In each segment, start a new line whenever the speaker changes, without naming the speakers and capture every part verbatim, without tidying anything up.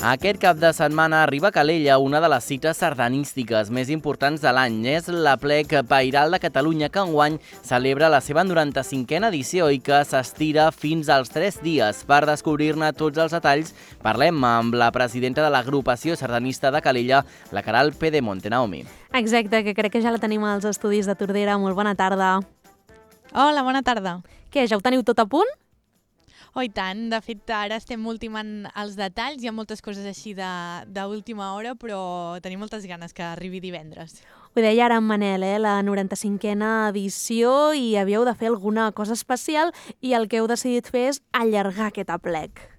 Aquest cap de setmana arriba a Calella una de les cites sardanístiques més importants de l'any. És l'Aplec Pairal de Catalunya, que enguany celebra la seva noranta-cinquena edició i que s'estira fins als tres dies. Per descobrir-ne tots els detalls, parlem amb la presidenta de l'agrupació sardanista de Calella, la Queralt Pedemonte. Naomi.
Exacte, que crec que ja la tenim als estudis de Tordera. Molt bona tarda.
Hola, bona tarda.
Què, ja ho teniu tot a punt?
Oh, i tant. De fet, ara estem ultimant els detalls. Hi ha moltes coses així d'última hora, però tenim moltes ganes que arribi divendres.
Ho deia ara en Manel, eh? La noranta-cinquena edició, i havíeu de fer alguna cosa especial i el que heu decidit fer és allargar aquest aplec.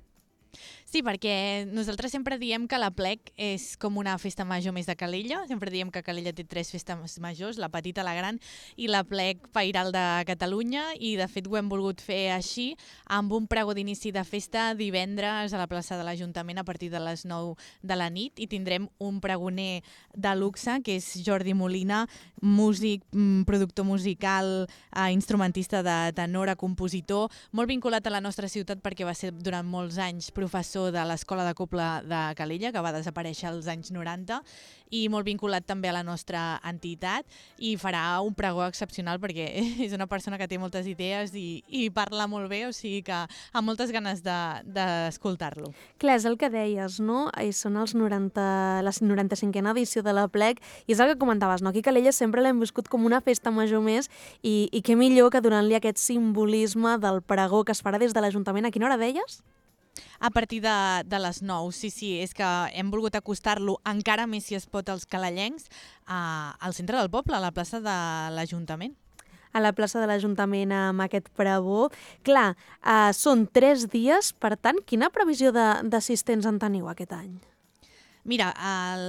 Sí, perquè nosaltres sempre diem que l'Aplec és com una festa major més de Calella. Sempre diem que Calella té tres festes majors, la petita, la gran i l'Aplec Pairal de Catalunya, i de fet ho hem volgut fer així, amb un pregó d'inici de festa divendres a la plaça de l'Ajuntament a partir de les nou de la nit, i tindrem un pregoner de luxe, que és Jordi Molina, músic, productor musical, instrumentista de tenora, compositor, molt vinculat a la nostra ciutat perquè va ser durant molts anys professor de l'Escola de Cobla de Calella, que va desaparèixer als anys noranta, i molt vinculat també a la nostra entitat, i farà un pregó excepcional perquè és una persona que té moltes idees i, i parla molt bé, o sigui que amb moltes ganes d'escoltar-lo.
De, Clar, és el que deies, no? I són els noranta, la noranta-cinquena edició de l'Aplec, i és el que comentaves, no? Aquí a Calella sempre l'hem viscut com una festa major més, i, i què millor que donant-li aquest simbolisme del pregó que es farà des de l'Ajuntament. A quina hora deies?
A partir de, de les nou, sí, sí, és que hem volgut acostar-lo encara més, si es pot, als calellencs, a, al centre del poble, a la plaça de l'Ajuntament.
A la plaça de l'Ajuntament amb aquest pregó. Clar, eh, són tres dies, per tant, quina previsió d'assistents en teniu aquest any?
Mira,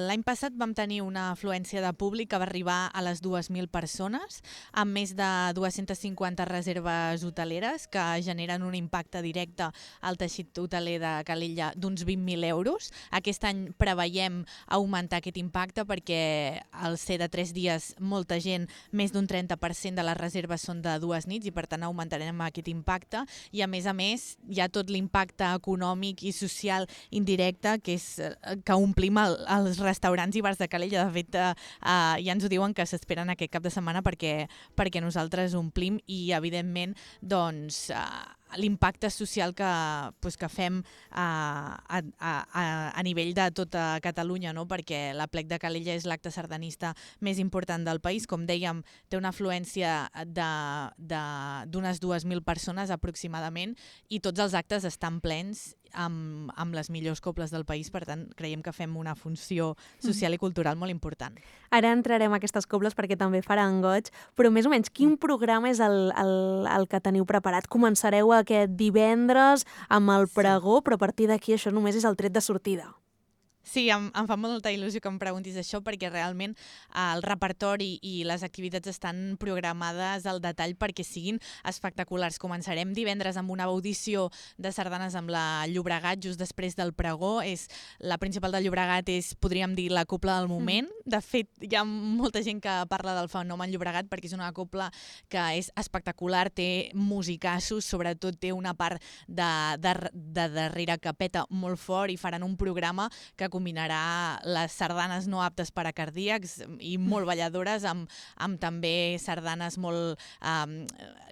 l'any passat vam tenir una afluència de públic que va arribar a les dues mil persones, amb més de dues-centes cinquanta reserves hoteleres que generen un impacte directe al teixit hoteler de Calella d'uns vint mil euros. Aquest any preveiem augmentar aquest impacte perquè al ser de tres dies molta gent, més d'un trenta per cent de les reserves són de dues nits, i per tant augmentarem aquest impacte, i a més a més hi ha tot l'impacte econòmic i social indirecte que és que omplim als restaurants i bars de Calella. De fet, eh, eh, ja ens ho diuen que s'esperen aquest cap de setmana perquè, perquè nosaltres omplim, i evidentment doncs, eh, l'impacte social que, pues, que fem a, a, a, a nivell de tota Catalunya, no? Perquè l'Aplec de Calella és l'acte sardanista més important del país. Com dèiem, té una afluència d'unes dues mil persones aproximadament, i tots els actes estan plens amb, amb les millors cobles del país. Per tant, creiem que fem una funció social i cultural molt important.
Ara entrarem a aquestes cobles perquè també faran goig, però més o menys quin programa és el, el, el que teniu preparat? Començareu aquest divendres amb el pregó, però a partir d'aquí això només és el tret de sortida.
Sí, em, em fa molta il·lusió que em preguntis això, perquè realment el repertori i les activitats estan programades al detall perquè siguin espectaculars. Començarem divendres amb una audició de sardanes amb la Llobregat just després del pregó. És, la principal del Llobregat és, podríem dir, la cobla del moment. De fet, hi ha molta gent que parla del fenomen Llobregat perquè és una cobla que és espectacular, té musicassos, sobretot té una part de, de, de darrere que peta molt fort, i faran un programa que combinarà les sardanes no aptes per a cardíacs i molt balladores amb, amb també sardanes molt um,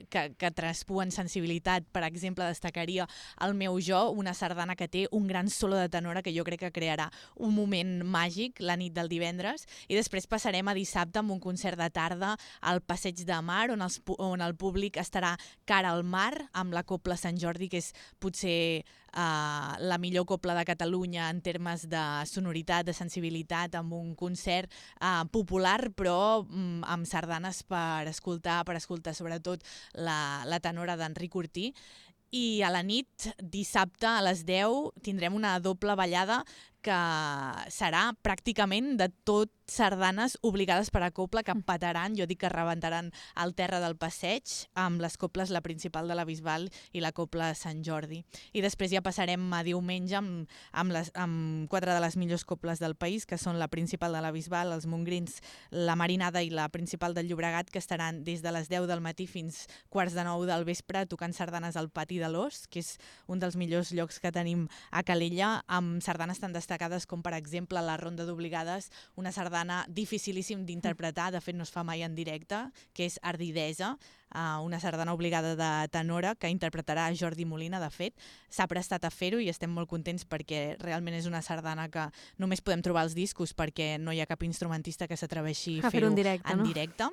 que, que traspuen sensibilitat. Per exemple, destacaria El meu jo, una sardana que té un gran solo de tenora que jo crec que crearà un moment màgic la nit del divendres, i després passarem a dissabte amb un concert de tarda al Passeig de Mar, on, els, on el públic estarà cara al mar, amb la Cobla Sant Jordi, que és potser Uh, la millor cobla de Catalunya en termes de sonoritat, de sensibilitat, amb un concert uh, popular, però um, amb sardanes per escoltar, per escoltar sobretot la, la tenora d'Enric Ortí. I a la nit, dissabte a les deu, tindrem una doble ballada que serà pràcticament de tot sardanes obligades per a copla que petaran, jo dic que rebentaran el terra del passeig amb les coples, la principal de la Bisbal i la copla de Sant Jordi. I després ja passarem a diumenge amb, amb, les, amb quatre de les millors coples del país, que són la principal de la Bisbal, els Montgrins, la Marinada i la principal del Llobregat, que estaran des de les deu del matí fins quarts de nou del vespre tocant sardanes al Pati de l'Os, que és un dels millors llocs que tenim a Calella, amb sardanes tan destacades com, per exemple, la Ronda d'Obligades, una sardana dificilíssim d'interpretar, de fet no es fa mai en directe, que és Ardidesa, una sardana obligada de tenora que interpretarà Jordi Molina. De fet, s'ha prestat a fer-ho i estem molt contents perquè realment és una sardana que només podem trobar als discos perquè no hi ha cap instrumentista que s'atreveixi a fer-ho
en directe.
En
no?
directe.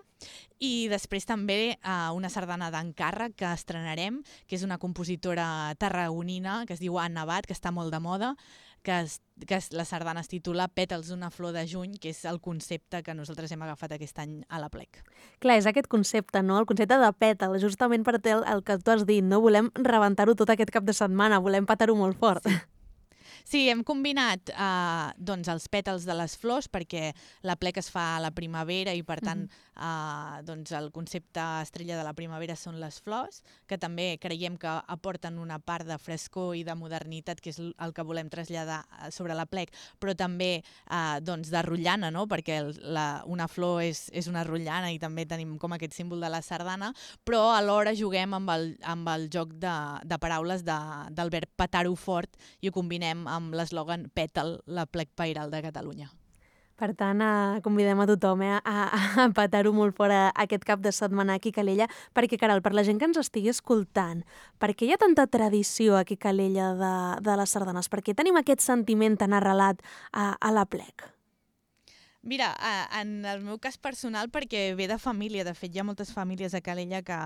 I després també uh, una sardana d'encàrrec que estrenarem, que és una compositora tarragonina que es diu Anna Abad, que està molt de moda, que, es, que es, la sardana es titula Pètals d'una flor de juny, que és el concepte que nosaltres hem agafat aquest any a l'Aplec.
Clar, és aquest concepte, no? El concepte de pètal, justament per el, el que tu has dit, no? Volem rebentar-ho tot aquest cap de setmana, volem petar-ho molt fort.
Sí. Sí, hem combinat eh, doncs els pètals de les flors perquè l'Aplec es fa a la primavera i per tant uh-huh. eh, doncs el concepte estrella de la primavera són les flors, que també creiem que aporten una part de frescor i de modernitat, que és el que volem traslladar sobre l'Aplec, però també eh, doncs de rotllana, no? Perquè la, una flor és, és una rotllana i també tenim com aquest símbol de la sardana, però alhora juguem amb el, amb el joc de, de paraules de, del verb petar-ho fort i ho combinem amb l'eslògan Pètal, l'Aplec Pairal de Catalunya.
Per tant, eh, convidem a tothom eh, a, a petar-ho molt fort aquest cap de setmana aquí a Calella, perquè, caral, per la gent que ens estigui escoltant, per què hi ha tanta tradició aquí a Calella de, de les sardanes? Per què tenim aquest sentiment tan arrelat a, a l'Aplec?
Mira, en el meu cas personal, perquè ve de família. De fet, hi ha moltes famílies a Calella que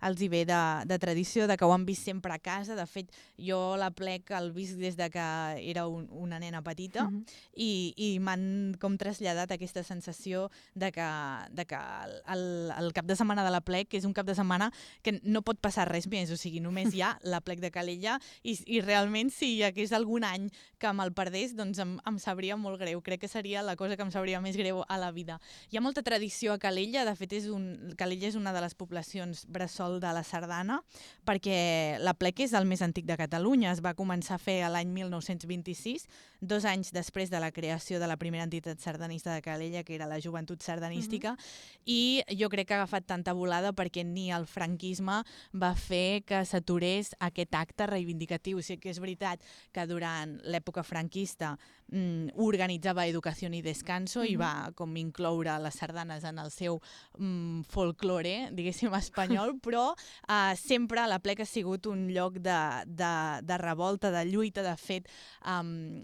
els hi ve de, de tradició, de que ho han vist sempre a casa. De fet, jo l'Aplec el visc des de que era un, una nena petita uh-huh. i, i m'han com traslladat aquesta sensació de que, de que el, el cap de setmana de l'Aplec és un cap de setmana que no pot passar res més. O sigui, només hi ha l'Aplec de Calella i, i realment si hi hagués algun any que me'l perdés, doncs em, em sabria molt greu. Crec que seria la cosa que em sabria més més greu a la vida. Hi ha molta tradició a Calella, de fet és un, Calella és una de les poblacions bressol de la sardana, perquè l'Aplec és el més antic de Catalunya, es va començar a fer l'any mil nou-cents vint-i-sis, dos anys després de la creació de la primera entitat sardanista de Calella, que era la Joventut Sardanística, uh-huh. i jo crec que ha agafat tanta volada perquè ni el franquisme va fer que s'aturés aquest acte reivindicatiu. O sigui que és veritat que durant l'època franquista mm, organitzava Educació i Descanso uh-huh. i va com incloure les sardanes en el seu mm, folklore, diguéssim, espanyol, però eh, sempre l'Aplec ha sigut un lloc de, de, de revolta, de lluita. De fet, um,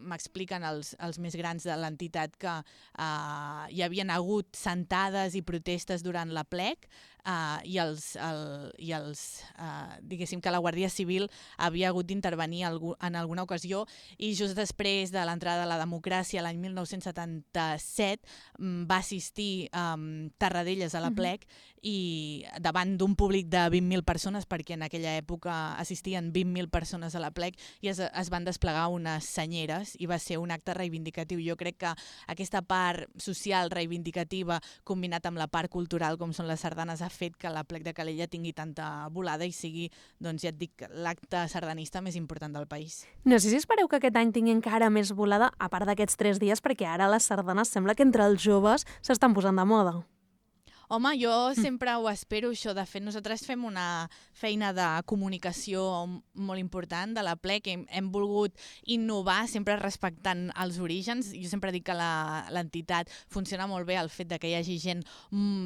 m'expliquen els, els més grans de l'entitat que uh, hi havien hagut sentades i protestes durant l'Aplec, Uh, i, els, el, i els, uh, diguéssim que la Guàrdia Civil havia hagut d'intervenir en alguna ocasió i just després de l'entrada de la democràcia l'any mil nou-cents setanta-set um, va assistir um, Tarradellas a l'Aplec uh-huh. i davant d'un públic de vint mil persones, perquè en aquella època assistien vint mil persones a l'Aplec i es, es van desplegar unes senyeres i va ser un acte reivindicatiu. Jo crec que aquesta part social reivindicativa combinat amb la part cultural com són les sardanes ha fet que l'Aplec de Calella tingui tanta volada i sigui, doncs ja et dic, l'acte sardanista més important del país.
No sé si espereu que aquest any tingui encara més volada, a part d'aquests tres dies, perquè ara les sardanes sembla que entre els joves s'estan posant de moda.
Home, jo sempre ho espero, això. De fet, nosaltres fem una feina de comunicació molt important de l'Aplec. Hem, hem volgut innovar, sempre respectant els orígens. Jo sempre dic que l'entitat funciona molt bé el fet de que hi hagi gent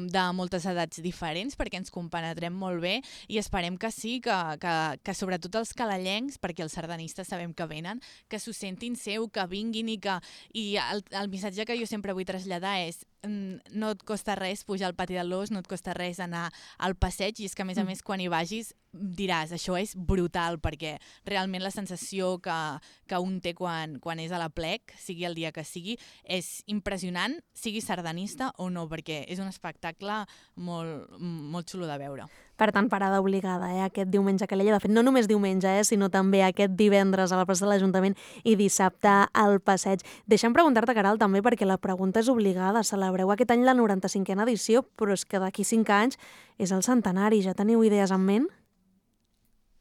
de moltes edats diferents, perquè ens compenetrem molt bé i esperem que sí, que, que, que sobretot els calellencs, perquè els sardanistes sabem que venen, que s'ho sentin seu, que vinguin i que... I el, el missatge que jo sempre vull traslladar és no et costa res pujar al Pati de l'Os, no et costa res anar al passeig, i és que a més a més quan hi vagis diràs, això és brutal, perquè realment la sensació que, que un té quan, quan és a l'Aplec, sigui el dia que sigui, és impressionant, sigui sardanista o no, perquè és un espectacle molt, molt xulo de veure.
Per tant, parada obligada, eh, aquest diumenge a Calella. De fet, no només diumenge, eh, sinó també aquest divendres a la plaça de l'Ajuntament i dissabte al passeig. Deixa'm preguntar-te, Caral, també, perquè la pregunta és obligada. Celebreu aquest any la noranta-cinquena edició, però és que d'aquí cinc anys és el centenari. Ja teniu idees en ment?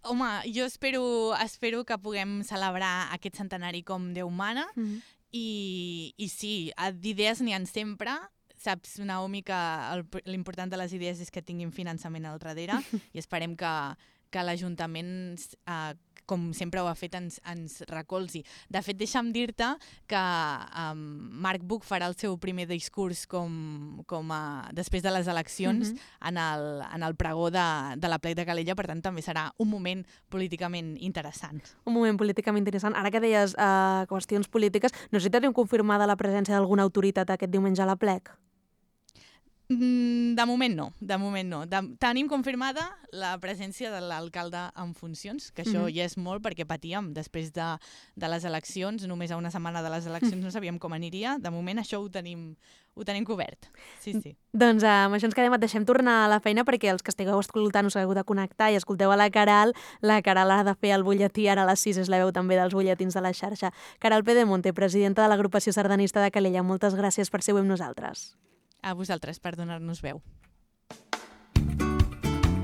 Home, jo espero, espero que puguem celebrar aquest centenari com Déu mana, mm. i, i sí, d'idees n'hi ha sempre. Saps, Naomi, que l'important de les idees és que tinguin finançament al darrere i esperem que, que l'Ajuntament, eh, com sempre ho ha fet, ens, ens recolzi. De fet, deixa'm dir-te que um, Marc Buch farà el seu primer discurs com, com a, després de les eleccions mm-hmm. en, el, en el pregó de, de la plec de Calella, per tant també serà un moment políticament interessant.
Un moment políticament interessant. Ara que deies uh, qüestions polítiques, no sé si teniu confirmada la presència d'alguna autoritat aquest diumenge a la plec?
De moment no, de moment no. De, tenim confirmada la presència de l'alcalde en funcions, que això mm-hmm. ja és molt perquè patíem després de, de les eleccions, només a una setmana de les eleccions no sabíem com aniria. De moment això ho tenim, ho tenim cobert. Sí, sí.
Doncs uh, amb això ens quedem, et deixem tornar a la feina perquè els que estigueu escoltant us hagueu de connectar i escolteu a la Caral. La Caral ha de fer el butlletí, ara a les sis és la veu també dels butlletins de la xarxa. Caral Pedemonte, presidenta de l'agrupació sardanista de Calella, moltes gràcies per ser avui amb nosaltres.
A vosaltres per donar-nos veu.